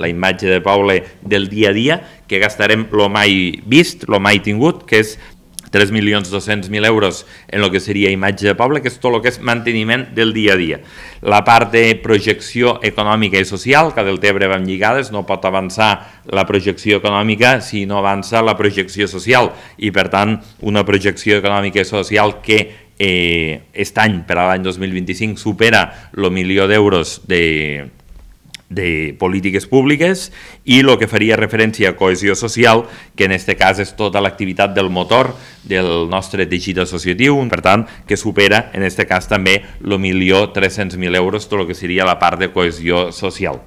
la imatge de poble del dia a dia, que gastarem lo mai vist, lo mai tingut, que és 3.200.000 euros en el que seria imatge de poble, que és tot el que és manteniment del dia a dia. La part de projecció econòmica i social, que del Tebre van lligades, no pot avançar la projecció econòmica si no avança la projecció social, i per tant una projecció econòmica i social que aquest any, per a l'any 2025, supera el milió d'euros de polítiques públiques, i el que faria referència a cohesió social, que en aquest cas és tota l'activitat del motor del nostre teixit associatiu, per tant, que supera en aquest cas també el 1.300.000 euros, tot el que seria la part de cohesió social.